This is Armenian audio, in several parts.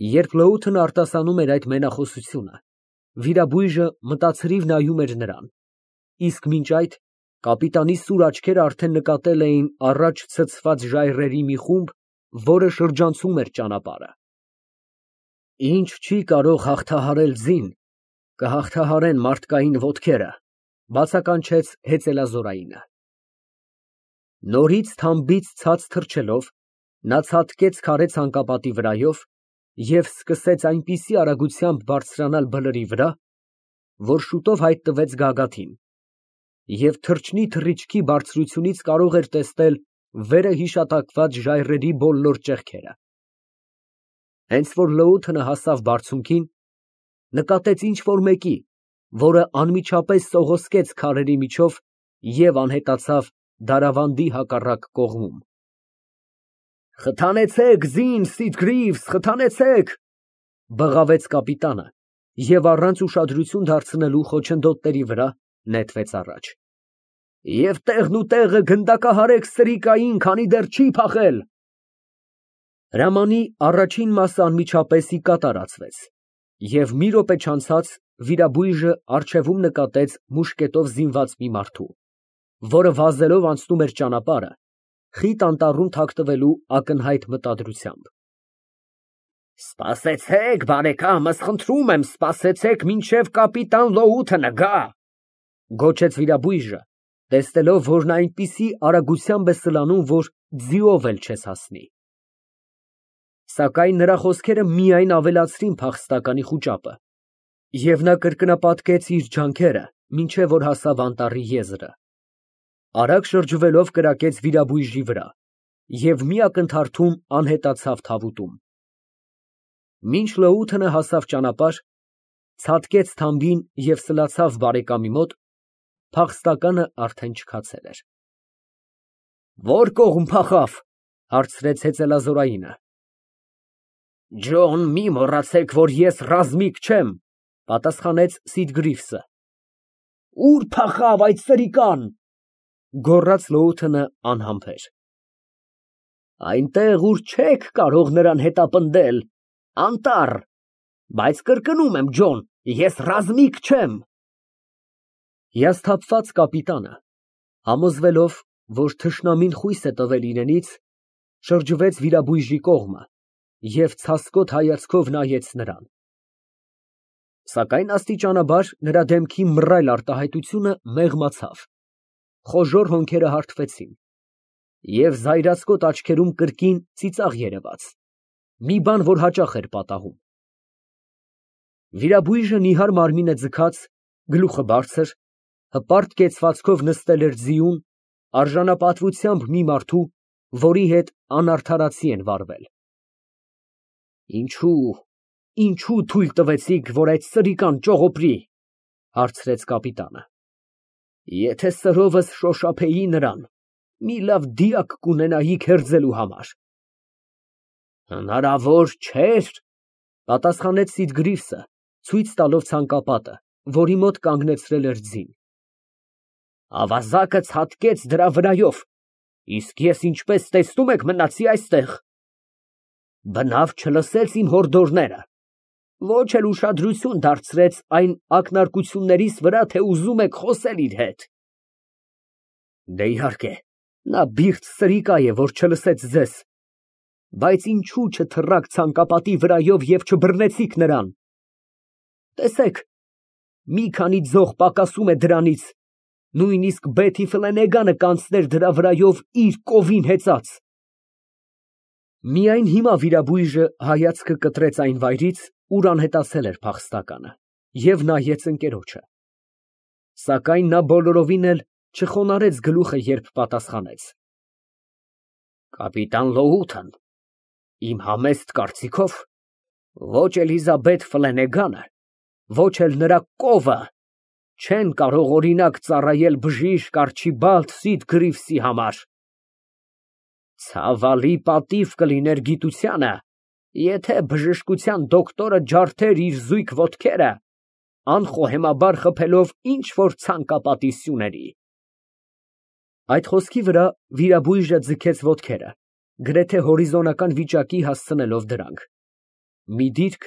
Երբ լոութն արտասանում էր այդ մենախոսությունը, վիրաբույժը մտածրիվ նայում էր նրան, իսկ մինչ այդ կապիտանի սուր աչքերը արդեն նկատել էին առաջ ցցված ժայռերի մի խումբ, որը շրջանցում էր ճանապարհը։ Ինչ չի կարող հաղթահարել ձին, կհաղթահարեն մարդկային ոտքերը, բացականչեց հեծելազորայինը։ Նորից թամբից ցած թռչելով, նա ցատկեց քարե ցանկապատի վրայով և սկսեց այնպիսի արագությամբ բարձրանալ բլրի վրա, որ շուտով հայտնվեց գագաթին, և թռչնի թռիչքի բարձրությունից կարող էր տեսնել վերը հիշատակված ժայռերի բոլոր ճեղքերը։ Հենց որ լոութը հասավ բարձունքին, նկատեց ինչ֊որ մեկի, որը անմիջապես սողոսկեց քարերի միջով և անհետացավ դարավանդի հակառակ կողմում։ «Խթանեցեք ձին, Սիդգրիվս, խթանեցեք», բղավեց կապիտանը և առանց ուշադրություն դարձնելու խոչընդոտների վրա նետվեց առաջ։ «Եվ տեղն ու տեղը գնդակահարեք սրիկային, քանի դեռ չի փախել»։ Հրամանի առաջին մասը անմիջապես ի կատար ածվեց, և մի րոպե չանցած վիրաբույժը առջևում նկատեց մուշկետով զինված մի մարդու, որը վազելով անցնում էր ճանապարհը, խիտ անտառում թաքնվելու ակնհայտ մտադրությամբ։ «Սպասեցեք, բարեկամս, խնդրում եմ, սպասեցեք, մինչև կապիտան Լոութը գա», գոչեց վիրաբույժը, տեսնելով, որ նա այնպիսի արագությամբ է սլանում, որ ձիով էլ չես հասնի։ Սակայն նրա խոսքերը միայն ավելացրին փախստականի խուճապը, և նա կրկնապատկեց իր ջանքերը, մինչև որ հասավ անտառի եզրը, արագ շրջվելով կրակեց վիրաբույժի վրա և մի ակնթարթում անհետացավ թավուտում։ Մինչ լոութը հասավ ճանապարհ, ցատկեց թամբին և սլացավ բարեկամի մոտ, փախստականը արդեն չքացել էր։ «Ո՞ր կողմ փախավ», հարցրեց հեծելազորայինը։ «Ջոն, մի մոռացեք, որ ես ռազմիկ չեմ», պատասխանեց Սիդգրիվսը։ «Ո՞ւր փախավ այդ սրիկան», գոռաց լոութն անհամբեր։ «Այնտեղ, ուր չեք կարող նրան հետապնդել, անտառ, բայց կրկնում եմ, Ջոն, ես ռազմիկ չեմ»։ Հիասթափված կապիտանը, համոզվելով, որ թշնամին խույս է տվել իրենից, շրջվեց վիրաբույժի կողմը և ցասկոտ հայացքով նայեց նրան։ Սակայն աստիճանաբար նրա դեմքի մռայլ արտահայտությունը մեղմացավ, խոժոռ հոնքերը հարթվեցին, և զայրացկոտ աչքերում կրկին ծիծաղ երևաց, մի բան, որ հաճախ էր պատահում։ Վիրաբույժը նիհար մարմինը ձգած, գլուխը բարձր, հպարտ կեցվածքով նստել էր ձիուն, արժանապատվությամբ մի մարդու, որի հետ անարդարացի են վարվել։ Ինչո՞ւ թույլ տվեցիք, որ այդ սրիկան ճողոպրի, հարցրեց կապիտանը։ Եթե սրովս շոշափեի նրան, մի լավ դիակ կունենայիք հերձելու համար։ Հնարավոր չէր, պատասխանեց Սիդգրիվսը, ցույց տալով ցանկապատը, որի մոտ կանգնեցրել էր ձին։ Ավազակը ցատկեց դրա վրայով, իսկ ես ինչպես տեսնում եք մնացի այստեղ։ Բնավ չլսեց իմ հորդորները, ոչ էլ ուշադրություն դարձրեց այն ակնարկություններիս վրա, թե ուզում եք խոսել իր հետ։ Դե, իհարկե, նա բիղծ սրիկա է, որ չլսեց ձեզ, բայց ինչու չթռաք ցանկապատի վրայով և չբռնեցիք նրան։ Տեսեք, մի քանի ձող պակասում է դրանից, նույնիսկ Բեթի Ֆլենեգանը կանցներ դրա վրայով իր կովին հեծած։ Միայն հիմա վիրաբույժը հայացքը կտրեց այն վայրից, ուր անհետացել էր փախստականը, և նայեց ընկերոջը։ Սակայն նա բոլորովին էլ չխոնարհեց գլուխը, երբ պատասխանեց. Կապիտան Լոութն, իմ համեստ կարծիքով, ոչ Էլիզաբեթ Ֆլենեգանը, ոչ էլ նրա կովը չեն կարող օրինակ ծառայել բժիշկ Արչիբալդ Սիդգրիվսի համար։ Ցավալի պատիվ կլիներ գիտությանը, եթե բժշկության դոկտորը ջարդեր իր զույգ ոտքերը, անխոհեմաբար խփելով ինչ֊որ ցանկապատի սյուների։ Այդ խոսքի վրա վիրաբույժը ձգեց ոտքերը, գրեթե հորիզոնական վիճակի հասցնելով դրանք։ մի դիրք,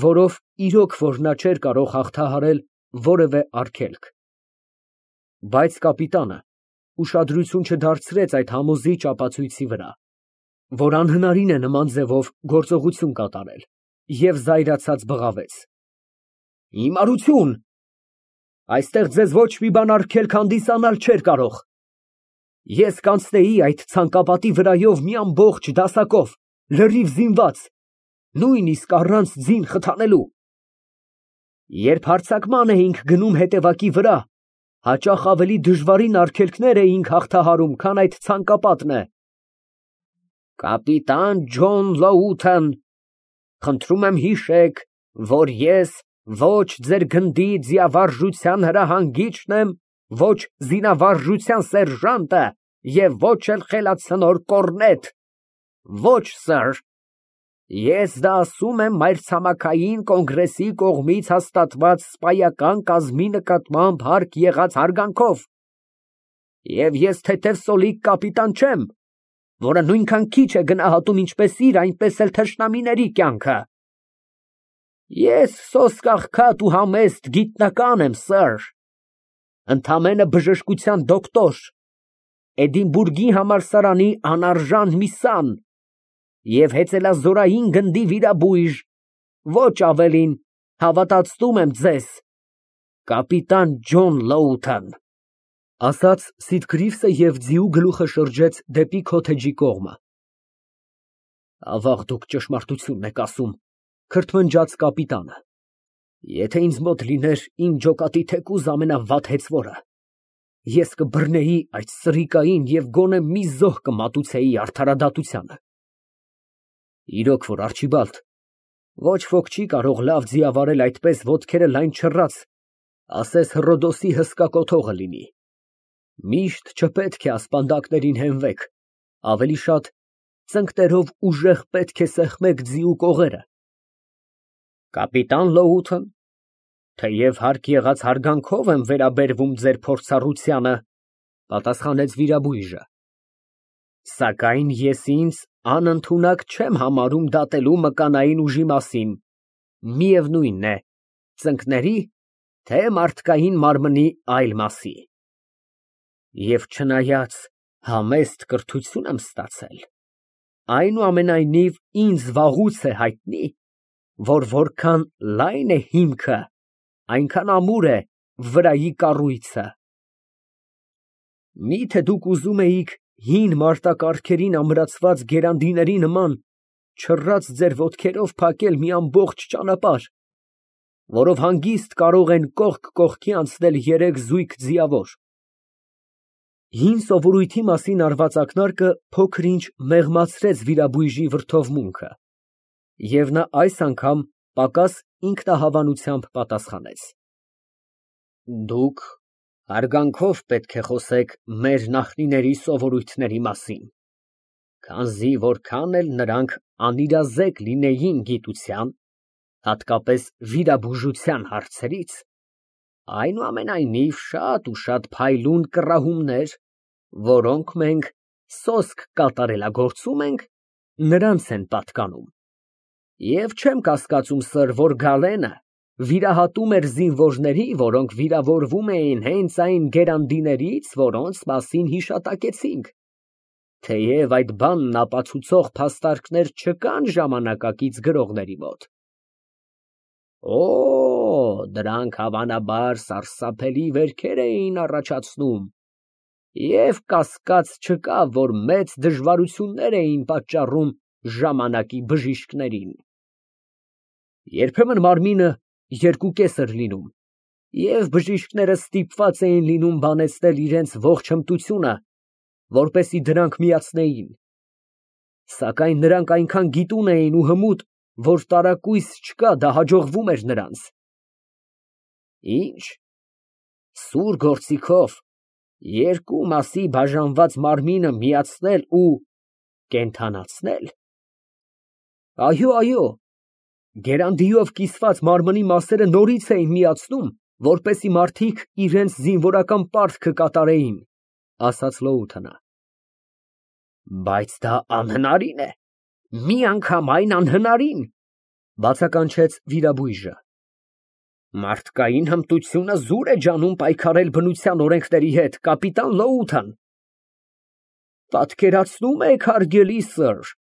որով իրոք որ նա չէր կարող հաղթահարել որևէ արգելք։ Բայց կապիտանը ուշադրություն չդարձրեց այդ համոզիչ ապացույցի վրա, որ անհնարին է նման ձևով գործողություն կատարել, և զայրացած բղավեց. Հիմարություն, այստեղ ձեզ ոչ մի բան արգելք հանդիսանալ չէր կարող։ Ես կանցնեի այդ ցանկապատի վրայով մի ամբողջ դասակով, լրիվ զինված, նույնիսկ առանց ձին խթանելու։ Երբ հարձակման էինք գնում հետևակի վրա, հաճախ ավելի դժվարին արգելքներ էինք հաղթահարում, քան այդ ցանկապատն է։ Կապիտան Ջոն Լոութեն, խնդրում եմ հիշեք, որ ես ոչ ձեր գնդի ձիավարժության հրահանգիչն եմ, ոչ զինավարժության սերժանտը և ոչ էլ խելացնոր կոռնետ։ Ոչ, սըր, ես դա ասում եմ մայրցամաքային կոնգրեսի կողմից հաստատված սպայական կազմի նկատմամբ հարկ եղած հարգանքով։ Եվ ես թեթև սոլիկ կապիտան չեմ, որը նույնքան քիչ է գնահատում ինչպես իր, այնպես էլ թշնամիների կյանքը։ Ես սոսկ աղքատ ու համեստ գիտնական եմ, սըր, ընդամենը բժշկության դոկտոր, Էդինբուրգի համալսարանի անարժան մի սան և հեծելազորային գնդի վիրաբույժ, ոչ ավելին, հավատացնում եմ ձեզ, կապիտան Ջոն Լոութեն։ Ասաց Սիտգրիվսը և ձիու գլուխը շրջեց դեպի քոթեջի կողմը։ Ավաղ դուք ճշմարտությունն եք ասում, քրթմնջաց կապիտանը։ Եթե ինձ մոտ լիներ իմ ջոկատի թեկուզ ամենավատ հեծվորը, ես կբռնեի այդ սրիկային և գոնե մի զոհ կմատուցեի արդարադատությանը։ Իրոք որ, Արչիբալդ, ոչ ոք չի կարող լավ ձիավարել այդպես ոտքերը լայն չռած, ասես Հռոդոսի հսկա կոթողը լինի։ Միշտ չպետք է ասպանդակներին հենվեք, ավելի շատ ծնկներով ուժեղ պետք է սեղմեք ձիու կողերը։ Կապիտան Լոութեն, թեև հարկ եղած հարգանքով եմ վերաբերվում ձեր փորձառությանը, պատասխանեց վիրաբույժը, սակայն ես ինձ անընդունակ չեմ համարում դատելու մկանային ուժի մասին, միևնույն է, ծնկների, թե մարդկային մարմնի այլ մասի։ Եվ չնայած համեստ կրթություն եմ ստացել, այնուամենայնիվ ինձ վաղուց է հայտնի, որ որքան լայն է հիմքը, այնքան ամուր է վրայի կառույցը։ Միթե դուք ուզում էիք հին մարտակառքերին ամրացված գերանդիների նման չռած ձեր ոտքերով փակել մի ամբողջ ճանապարհ, որով հանգիստ կարող են կողք կողքի անցնել երեք զույգ ձիավոր։ Հին սովորույթի մասին արված ակնարկը փոքր֊ինչ մեղմացրեց վիրաբույժի վրդովմունքը, և նա այս անգամ պակաս ինքնահավանությամբ պատասխանեց. Դուք հարգանքով պետք է խոսեք մեր նախնիների սովորույթների մասին, քանզի որքան էլ նրանք անիրազեկ լինեին գիտության, հատկապես վիրաբուժության հարցերից, այնուամենայնիվ շատ ու շատ փայլուն կռահումներ, որոնք մենք սոսկ կատարելագործում ենք, նրանց են պատկանում։ Եվ չեմ կասկածում, սըր, որ Գալենը վիրահատում էր զինվորների, որոնք վիրավորվում էին հենց այն գերանդիներից, որոնց մասին հիշատակեցինք, թեև այդ բանն ապացուցող փաստարկներ չկան ժամանակակից գրողների մոտ։ Օ, դրանք հավանաբար սարսափելի վերքեր էին առաջացնում, և կասկած չկա, որ մեծ դժվարություններ էին պատճառում ժամանակի բժիշկներին։ Երբեմն մարմինը երկուկես էր լինում, և բժիշկները ստիպված էին լինում բանեցնել իրենց ողջ հմտությունը, որպեսզի դրանք միացնեին, սակայն նրանք այնքան գիտուն էին ու հմուտ, որ տարակույս չկա, դա հաջողվում էր նրանց։ Ինչ, սուր գործիքով երկու մասի բաժանված մարմինը միացնել ու կենդանացնել։ Այո, այո, գերանդիով կիսված մարմնի մասերը նորից էին միացնում, որպեսզի մարդիկ իրենց զինվորական պարտքը կատարեին, ասաց Լոութենը։ Բայց դա անհնարին է, միանգամայն անհնարին։ Բացականչեց վիրաբույժը։ Մարդկային հմտությունը զուր է ջանում պայքարել բնության օրենքների հետ, կապիտան Լոութան։ Պատկերացնում եք, հարգելի սըր,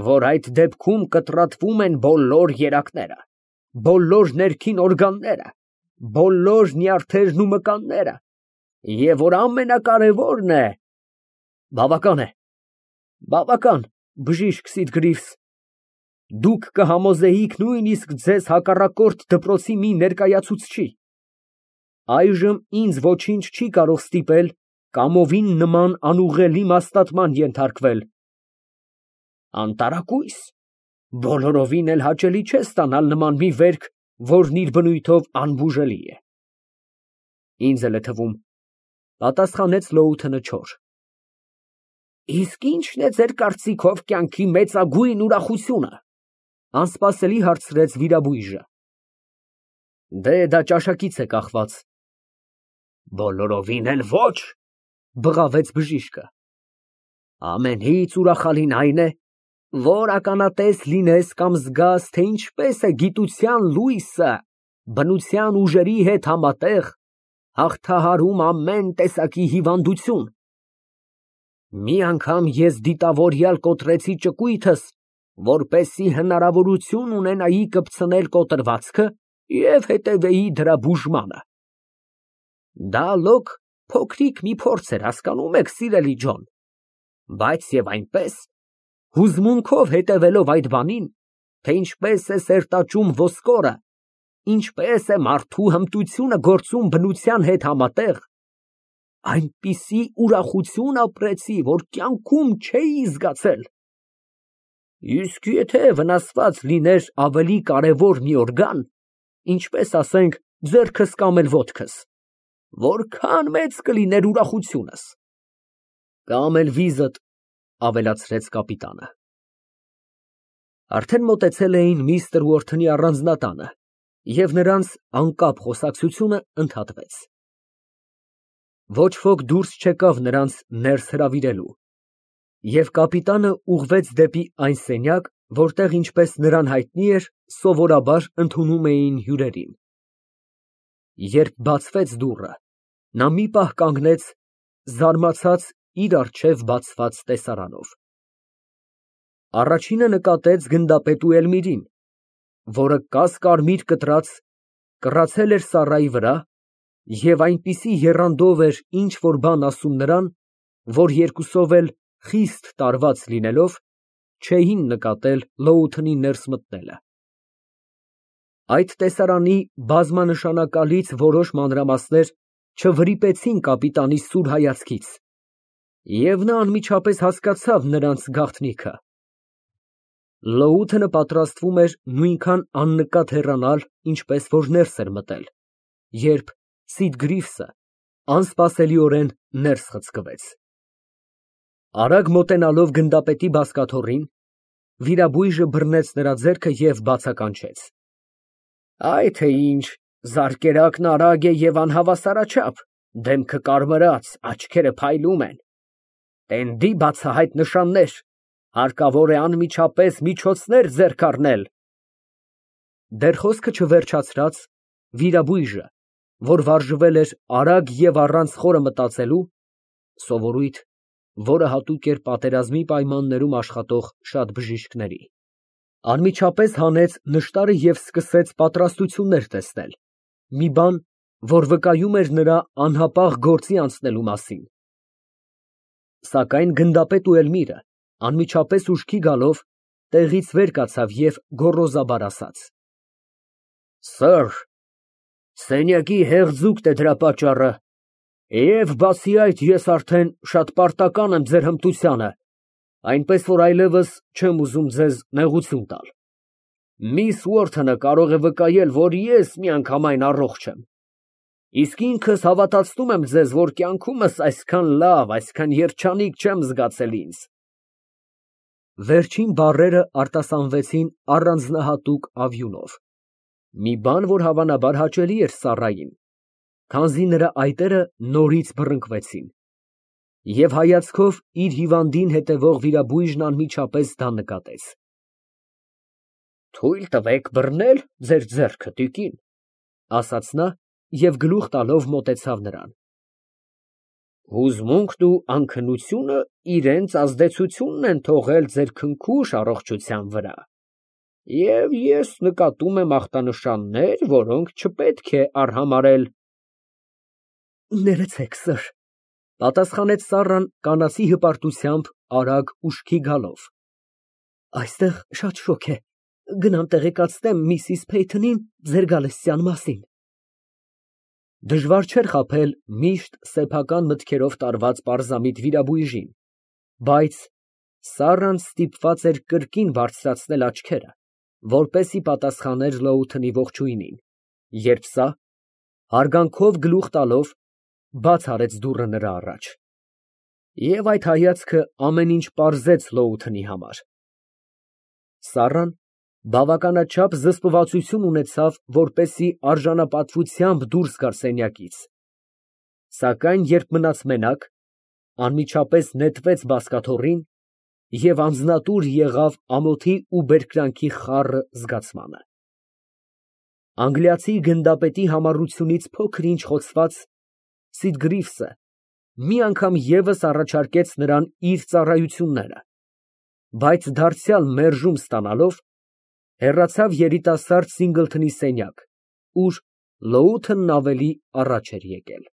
որ այդ դեպքում կտրատվում են բոլոր երակները, բոլոր ներքին օրգանները, բոլոր նյարդերն ու մկանները, և որ ամենակարևորն է… Բավական է, բավական, բժիշկ Սիտգրիվս, դուք կհամոզեիք նույնիսկ ձեզ հակառակորդ դպրոցի մի ներկայացուցչի, այժմ ինձ ոչինչ չի կարող ստիպել կամովին նման անուղղելի մաստատման ենթարկվել։ Անտարակույս, բոլորովին էլ հաճելի չէ ստանալ նման մի վերք, որն իր բնույթով անբուժելի է։ Ինձ էլ է թվում, պատասխանեց Լոութենը չոր։ Իսկ ի՞նչն է ձեր կարծիքով կյանքի մեծագույն ուրախությունը, անսպասելի հարցրեց վիրաբույժը։ Դե դա ճաշակից է կախված։ Բոլորովին էլ ոչ, բղավեց բժիշկը։ Ամենից ուրախալին այն է, որ ականատես լինես կամ զգաս, թե ինչպես է գիտության լույսը բնության ուժերի հետ համատեղ հաղթահարում ամեն տեսակի հիվանդություն։ Մի անգամ ես դիտավորյալ կոտրեցի ճկույթս, որպեսզի հնարավորություն ունենայի կպցնել կոտրվածքը և հետևեի դրա բուժմանը։ Դա լոկ փոքրիկ մի փորձ էր, հասկանում եք, սիրելի Ջոն, բայց և այնպես, հուզմունքով հետևելով այդ բանին, թե ինչպես է սերտաճում ոսկորը, ինչպես է մարդու հմտությունը գործում բնության հետ համատեղ, այնպիսի ուրախություն ապրեցի, որ կյանքում չէի զգացել։ Իսկ եթե վնասված լիներ ավելի կարևոր մի օրգան, ինչպես ասենք ձեռքս կամ էլ ոտքս, որքան մեծ կլիներ ուրախությունս։ Կամ էլ վիզդ, ավելացրեց կապիտանը։ Արդեն մոտեցել էին միստր Ուորթոնի առանձնատանը, և նրանց անկապ խոսակցությունը ընդհատվեց։ Ոչ ոք դուրս չեկավ նրանց ներս հրավիրելու, և կապիտանը ուղղվեց դեպի այն սենյակ, որտեղ, ինչպես նրան հայտնի էր, սովորաբար ընդունում էին հյուրերին։ Երբ բացվեց դուռը, նա մի պահ կանգնեց, զարմացած իր առջև բացված տեսարանով։ Առաջինը նկատեց գնդապետու Էլմիրին, որը կաս֊կարմիր կտրած, կռացել էր սառայի վրա և այնպիսի եռանդով էր ինչ֊որ բան ասում նրան, որ երկուսով էլ խիստ տարված լինելով, չէին նկատել Լոութենի ներս մտնելը։ Այդ տեսարանի բազմանշանակալից որոշ մանրամասներ չվրիպեցին կապիտանի սուր հայացքից, և նա անմիջապես հասկացավ նրանց գաղտնիքը։ Լոութենը պատրաստվում էր նույնքան աննկատ հեռանալ, ինչպես որ ներս էր մտել, երբ Սիդգրիվսը անսպասելիորեն ներս խցկվեց։ Արագ մոտենալով գնդապետի բազկաթոռին, վիրաբույժը բռնեց նրա ձեռքը և բացականչեց. Այ թե ինչ, զարկերակն արագ է և անհավասարաչափ, դեմքը կարմրած, աչքերը փայլում են, տենդի բացահայտ նշաններ, հարկավոր է անմիջապես միջոցներ ձեռք առնել։ Դեռ խոսքը չվերջացրած, վիրաբույժը, որ վարժվել էր արագ և առանց խորը մտածելու, սովորույթ, որը հատուկ էր պատերազմի պայմաններում աշխատող շատ բժիշկների, անմիջապես հանեց նշտարը և սկսեց պատրաստություններ տեսնել, մի բան, որ վկայում էր նրա անհապաղ գործի անցնելու մասին։ Սակայն գնդապետու Էլմիրը, անմիջապես ուշքի գալով, տեղից վեր կացավ և գոռոզաբար ասաց. Սըր, սենյակի հեղձուկն է դրա պատճառը, և բացի այդ, ես արդեն շատ պարտական եմ ձեր հմտությանը, այնպես որ այլևս չեմ ուզում ձեզ նեղություն տալ։ Միս Ուորթոնը կարող է վկայել, որ ես միանգամայն առողջ եմ, իսկ ինքս հավատացնում եմ ձեզ, որ կյանքումս այսքան լավ, այսքան երջանիկ չեմ զգացել ինձ։ Վերջին բառերը արտասանվեցին առանձնահատուկ ավյունով, մի բան, որ հավանաբար հաճելի էր Սառային, քանզի նրա այտերը նորից բռնկվեցին, և հայացքով իր հիվանդին հետևող վիրաբույժն անմիջապես դա նկատեց։ Թույլ տվեք բռնել ձեր ձեռքը, տիկին, ասաց նա և գլուխ տալով մոտեցավ նրան։ Հուզմունքն ու անքնությունը իրենց ազդեցությունն են թողել ձեր քնքուշ առողջության վրա, և ես նկատում եմ ախտանշաններ, որոնք չպետք է արհամարհել։ Ներեցեք, սըր, պատասխանեց Սառան կանացի հպարտությամբ, արագ ուշքի գալով։ Այստեղ շատ շոգ է, գնամ տեղեկացնեմ միսիս Փեյթոնին ձեր գալստյան մասին։ Դժվար չէր խաբել միշտ սեփական մտքերով տարված պարզամիտ վիրաբույժին, բայց Սառան ստիպված էր կրկին բարձրացնել աչքերը, որպեսզի պատասխաներ Լոութընի ողջույնին, երբ սա, հարգանքով գլուխ տալով, բաց արեց դուռը նրա առաջ։ Եվ այդ հայացքը ամեն ինչ պարզեց Լոութընի համար։ Սառան բավականաչափ զսպվածություն ունեցավ, որպեսզի արժանապատվությամբ դուրս գար սենյակից, սակայն երբ մնաց մենակ, անմիջապես նետվեց բազկաթոռին և անձնատուր եղավ ամոթի ու բերկրանքի խառը զգացմանը։ Անգլիացի գնդապետի համառությունից փոքր֊ինչ խոցված Սիդգրիվսը մի անգամ ևս առաջարկեց նրան իր ծառայությունները, բայց դարձյալ մերժում ստանալով, հեռացավ երիտասարդ Սինգլթոնի սենյակ, ուր Լոութընն ավելի առաջ էր եկել։